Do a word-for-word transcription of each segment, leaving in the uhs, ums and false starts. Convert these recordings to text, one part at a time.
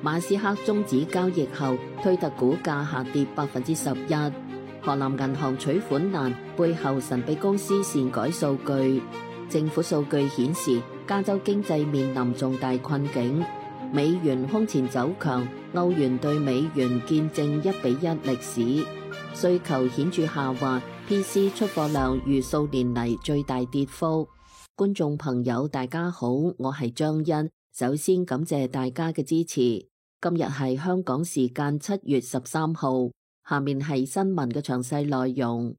馬斯克終止交易後，推特股價下跌百分之十一。河南銀行取款難，背後神秘公司擅改數據。政府數據顯示，加州經濟面臨重大困境。美元空前走強，歐元對美元見證一比一歷史。需求顯著下滑 ，P C 出貨量逾數年嚟最大跌幅。觀眾朋友大家好，我係張欣，首先感謝大家嘅支持。今日係香港時間七月十三號，下面係新聞嘅詳細內容。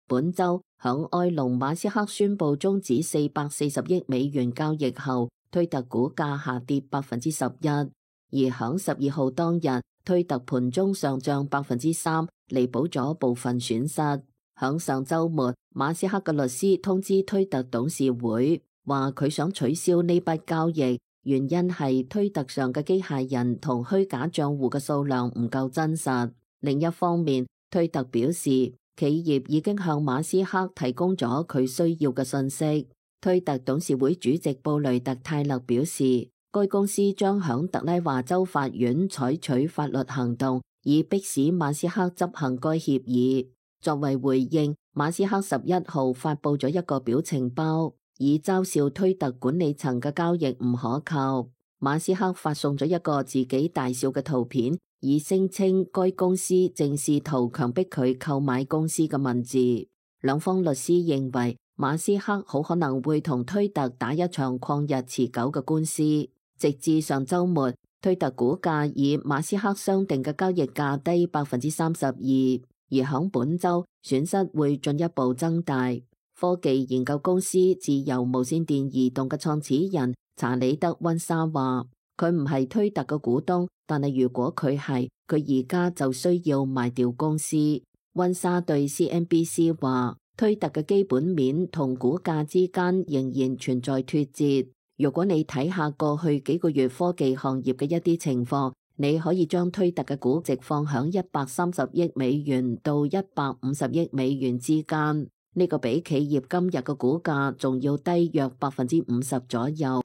本週響埃隆馬斯克宣布終止四百四十億美元交易後，推特股價下跌百分之十一，而響十二號當日，推特盤中上漲百分之三，彌補咗部分損失。響上週末，馬斯克嘅律師通知推特董事會，話佢想取消呢筆交易，原因係推特上嘅機械人同虛假賬戶嘅數量唔夠真實。另一方面，推特表示企業已經向馬斯克提供咗佢需要嘅信息。推特董事會主席布雷特泰勒表示，該公司將響特拉華州法院採取法律行動，以迫使馬斯克執行該協議。作為回應，馬斯克十一號發佈咗一個表情包，以嘲笑推特管理層嘅交易唔可靠。馬斯克發送咗一個自己大笑嘅圖片，以聲稱該公司正試圖強迫佢購買公司嘅文字。兩方律師認為，馬斯克好可能會同推特打一場曠日持久嘅官司。直至上週末，推特股價以馬斯克商定嘅交易價低百分之三十二，而響本週損失會進一步增大。科技研究公司自由無線電移動嘅創始人查理德溫莎話，佢唔係推特嘅股東，但係如果佢係，佢而家就需要賣掉公司。溫莎對 C N B C 話，推特嘅基本面同股價之間仍然存在脫節。如果你睇下過去幾個月科技行業嘅一啲情況，你可以將推特嘅估值放響一百三十億美元到一百五十億美元之間，呢個比企業今日嘅股價仲要低約百分之五十左右。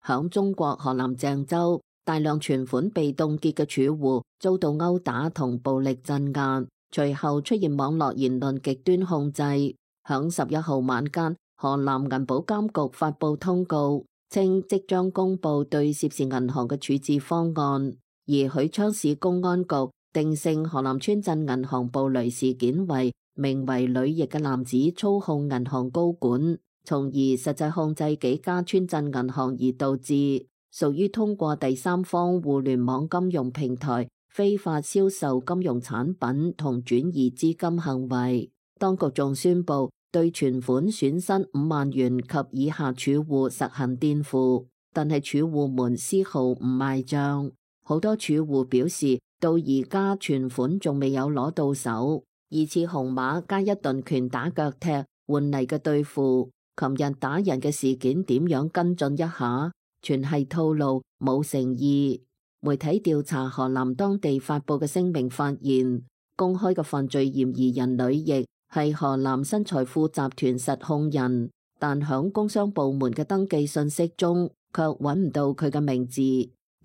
響中國河南鄭州，大量存款被凍結嘅儲戶遭到毆打同暴力鎮壓，隨後出現網絡言論極端控制。響十一號晚間，河南銀保監局發布通告，稱即將公布對涉事銀行嘅處置方案。而許昌市公安局定性河南村鎮銀行暴雷事件為名為呂毅嘅男子操控銀行高管，從而實際控制幾家村鎮銀行，而導致屬於通過第三方互聯網金融平台非法銷售金融產品同轉移資金行為。當局仲宣布對存款損失五萬元及以下儲戶實行墊付，但係儲戶們絲毫唔賣賬。好多儲戶表示，到而家存款仲未有攞到手。二次紅馬加一頓拳打腳踢換嚟嘅對付，琴日打人嘅事件點樣跟進一下？全係套路，冇誠意。媒體調查河南當地發佈嘅聲明發現，公開嘅犯罪嫌疑人呂毅係河南新財富集團實控人，但響工商部門嘅登記信息中卻揾唔到佢嘅名字。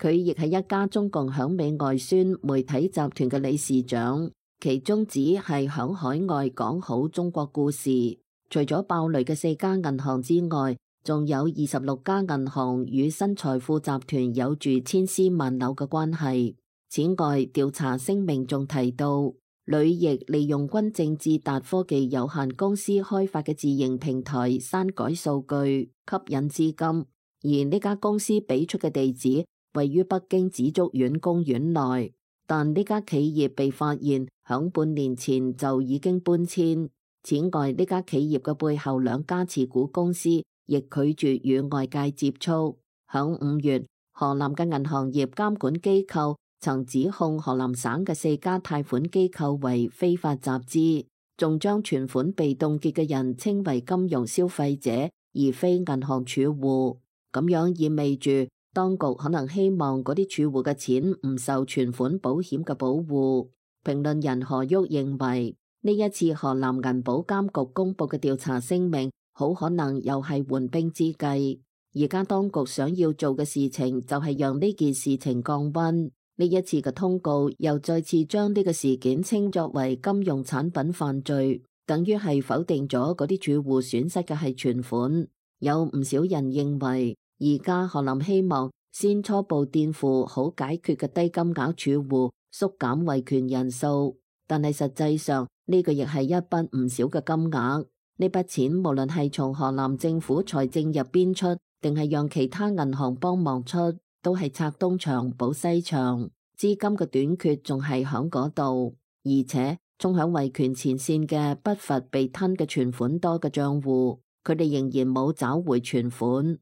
佢亦係一家中共響美外宣媒體集團嘅理事長，其宗旨係響海外講好中國故事。除咗爆雷嘅四家銀行之外，仲有二十六家銀行與新財富集團有住千絲萬縷嘅關係。此外，調查聲明仲提到，呂毅利用軍政智達科技有限公司開發嘅自營平台刪改數據，吸引資金，而呢家公司俾出嘅地址位於北京紫竹院公園內，但呢家企業被發現響半年前就已經搬遷。此外，呢家企業嘅背後兩家持股公司亦拒絕與外界接觸。響五月，河南嘅銀行業監管機構曾指控河南省嘅四家貸款機構為非法集資，仲將存款被凍結嘅人稱為金融消費者，而非銀行儲戶。咁樣意味住當局可能希望嗰啲儲戶嘅錢唔受存款保險嘅保護。評論人何旭認為，呢一次河南銀保監局公布嘅調查聲明好可能又係緩兵之計。而家當局想要做嘅事情就係讓呢件事情降溫。呢一次嘅通告又再次將呢個事件稱作為金融產品犯罪，等於係否定咗嗰啲儲戶損失嘅係存款。有唔少人認為，而家賀林希望先初步墊付好解決嘅低金額儲戶，縮減維權人數，但係實際上呢個亦係一筆唔少嘅金額。呢筆錢無論係從河南政府財政入邊出，定係讓其他銀行幫忙出，都係拆東牆補西牆，資金嘅短缺仲係響嗰度。而且衝響維權前線嘅不乏被吞嘅存款多嘅賬戶，佢哋仍然冇找回存款。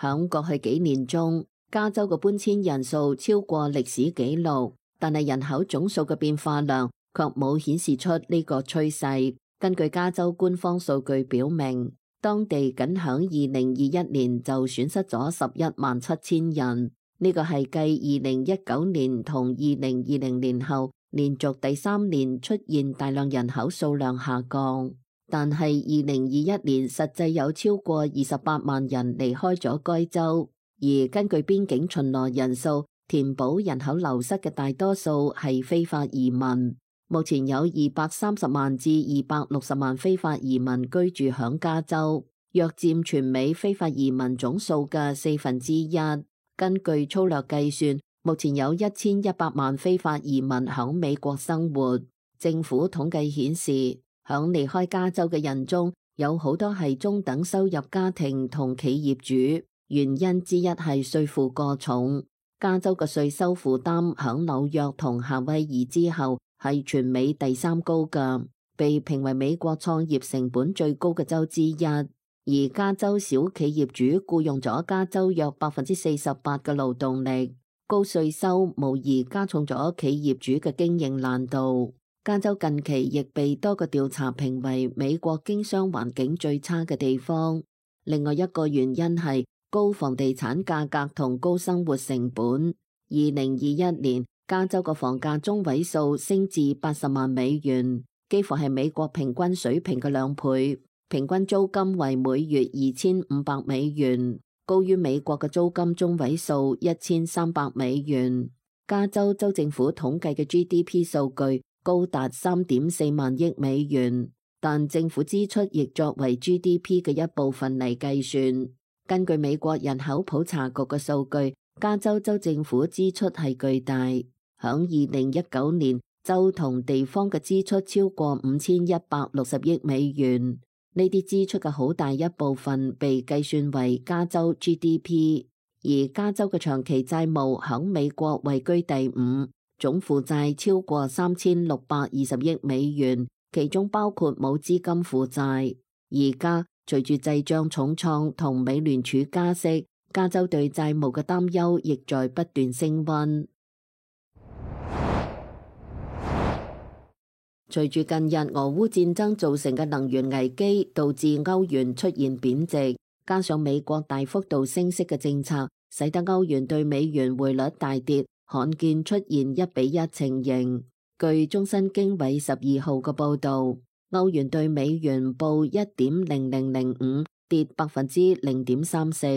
響過去幾年中，加州嘅搬遷人數超過歷史紀錄，但係人口總數嘅變化量卻冇顯示出呢個趨勢。根據加州官方數據表明，當地僅響二零二一年就損失咗十一萬七千人，呢個係繼二零一九年同二零二零年後連續第三年出現大量人口數量下降。但係二零二一年實際有超過二十八萬人離開咗該州，而根據邊境巡邏人數，填補人口流失嘅大多數係非法移民。目前有二百三十萬至二百六十萬非法移民居住響加州，約佔全美非法移民總數嘅四分之一。根據粗略計算，目前有一千一百萬非法移民響美國生活。政府統計顯示，響離開加州嘅人中，有好多係中等收入家庭同企業主，原因之一係稅負過重。加州嘅稅收負擔響紐約同夏威夷之後係全美第三高嘅，被評為美國創業成本最高嘅州之一。而加州小企業主僱用咗加州約百分之四十八嘅勞動力，高稅收無疑加重咗企業主嘅經營難度。加州近期亦被多個調查評為美國經商環境最差嘅地方。另外一個原因係高房地產價格同高生活成本。二零二一年，加州個房價中位數升至八十萬美元，幾乎係美國平均水平嘅兩倍。平均租金為每月二千五百美元，高於美國嘅租金中位數一千三百美元。加州州政府統計嘅 G D P 數據高達三點四萬億美元，但政府支出亦作為 G D P 嘅一部分嚟計算。根據美國人口普查局嘅數據，加州州政府支出係巨大。響二零一九年，州同地方嘅支出超過五千一百六十億美元。呢啲支出嘅好大一部分被計算為加州 G D P， 而加州嘅長期債務響美國位居第五，總負債超過三千六百二十億美元，其中包括冇資金負債。而家隨住滯脹重創同美聯儲加息，加州對債務嘅擔憂亦在不斷升溫。隨住近日俄烏戰爭造成嘅能源危機，導致歐元出現貶值，加上美國大幅度升息嘅政策，使得歐元對美元匯率大跌，罕見出現一比一情形。據中新經緯十二號嘅報導，歐元對美元報一點零零零五，跌百分之零點三四。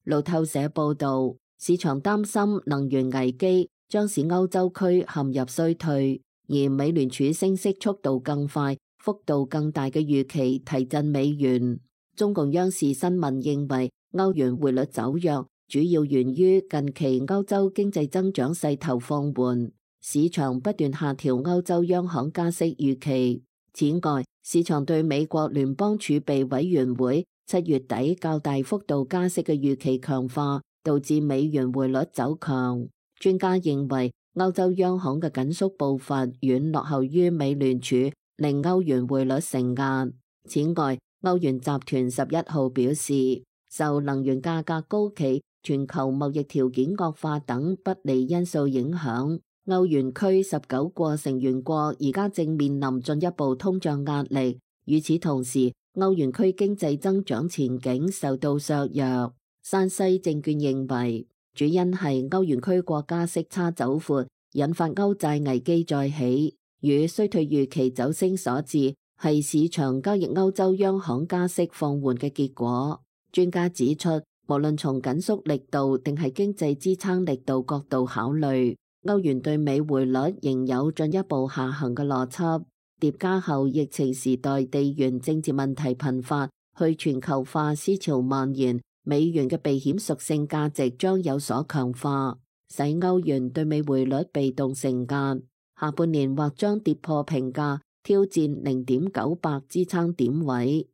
路透社報導，市場擔心能源危機將使歐洲區陷入衰退。而美聯儲升息速度更快、幅度更大嘅預期提振美元。中共央視新聞認為，歐元匯率走弱，主要源於近期歐洲經濟增長勢頭放緩，市場不斷下調歐洲央行加息預期。此外，市場對美國聯邦儲備委員會七月底較大幅度加息嘅預期強化，導致美元匯率走強。專家認為，歐洲央行嘅緊縮步伐遠落後於美聯儲，令歐元匯率承壓。此外，歐元集團十一號表示，受能源價格高企、全球貿易條件惡化等不利因素影響，歐元區十九個成員國而家正面臨進一步通脹壓力。與此同時，歐元區經濟增長前景受到削弱。山西證券認為，主因係歐元區國家息差走闊，引發歐債危機再起，與衰退預期走升所致，係市場交易歐洲央行加息放緩嘅結果。專家指出，無論從緊縮力度定係經濟支撐力度角度考慮，歐元對美匯率仍有進一步下行嘅邏輯。疊加後疫情時代地緣政治問題頻發，去全球化思潮蔓延，美元嘅避險屬性價值將有所強化，使歐元對美匯率被動承壓，下半年或將跌破平價，挑戰零點九八支撐點位。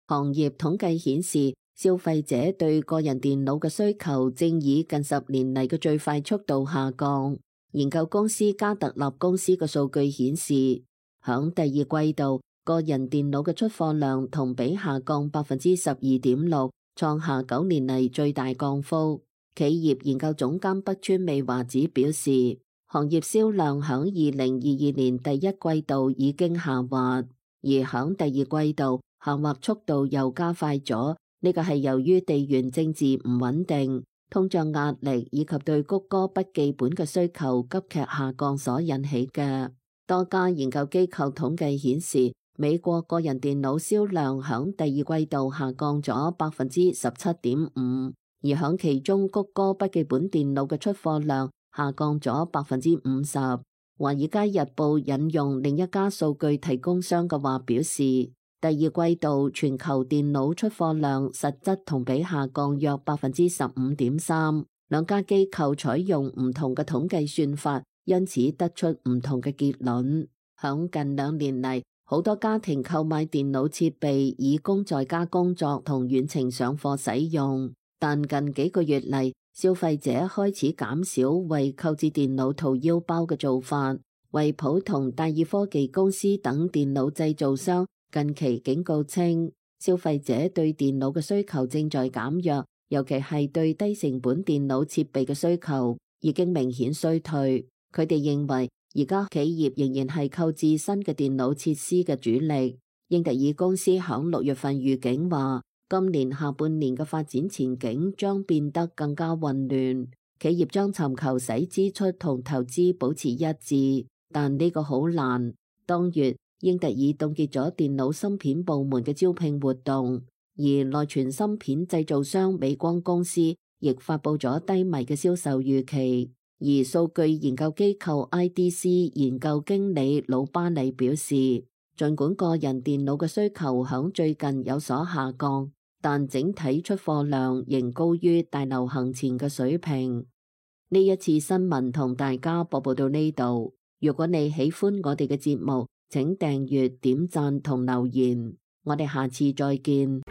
行業統計顯示，消費者對個人電腦嘅需求正以近十年嚟嘅最快速度下降。研究公司加特納公司嘅數據顯示，響第二季度，個人電腦嘅出貨量同比下降百分之十二點六，創下九年嚟最大降幅。企業研究總監北川美華子表示，行業銷量響二零二二年第一季度已經下滑，而響第二季度下滑速度又加快咗。呢個係由於地緣政治唔穩定、通脹壓力以及對谷歌筆記本嘅需求急劇下降所引起嘅。多家研究機構統計顯示，美國個人電腦銷量響第二季度下降咗百分之十七點五，而響其中谷歌筆記本電腦嘅出貨量下降咗百分之五十。華爾街日報引用另一家數據提供商嘅話表示，第二季度全球電腦出貨量實質同比下降約百分之十五點三，兩家機構採用唔同嘅統計算法，因此得出唔同嘅結論。響近兩年嚟，好多家庭購買電腦設備以供在家工作同遠程上課使用，但近幾個月嚟，消費者開始減少為購置電腦掏腰包嘅做法。惠普同戴爾科技公司等電腦製造商近期警告稱，消費者對電腦嘅需求正在減弱，尤其係對低成本電腦設備嘅需求已經明顯衰退。佢哋認為，而家企業仍然係購置新嘅電腦設施嘅主力。英特爾公司響六月份預警話，今年下半年嘅發展前景將變得更加混亂，企業將尋求使支出同投資保持一致，但呢個好難。當月，英特爾凍結咗電腦芯片部門嘅招聘活動，而內存芯片製造商美光公司亦發佈咗低迷嘅銷售預期。而數據研究機構 I D C 研究經理魯巴里表示，儘管個人電腦嘅需求響最近有所下降，但整體出貨量仍高於大流行前嘅水平。呢一次新聞同大家播報到呢度。如果你喜歡我哋嘅節目，請訂閱、點讚同留言。我哋下次再見。